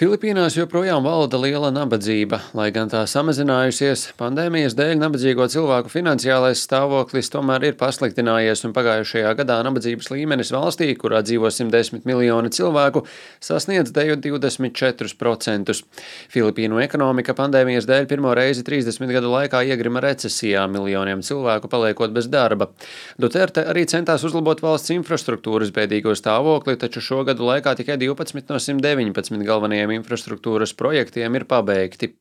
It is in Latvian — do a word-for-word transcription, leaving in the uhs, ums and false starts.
Filipīnās joprojām valda liela nabadzība. Lai gan tā samazinājusies, pandēmijas dēļ nabadzīgo cilvēku finansiālais stāvoklis tomēr ir pasliktinājies, un pagājušajā gadā nabadzības līmenis valstī, kurā dzīvo simt desmit miljoni cilvēku, sasniedz deju divdesmit četrus procentus. Filipīnu ekonomika pandēmijas dēļ pirmo reizi trīsdesmit gadu laikā iegrima recesijā, miljoniem cilvēku paliekot bez darba. Duterte arī centās uzlabot valsts infrastruktūras bēdīgo stāvokli, taču šo gadu laikā tikai divpadsmit no simt deviņpadsmit galvenajiem infrastruktūras projektiem ir pabeigti.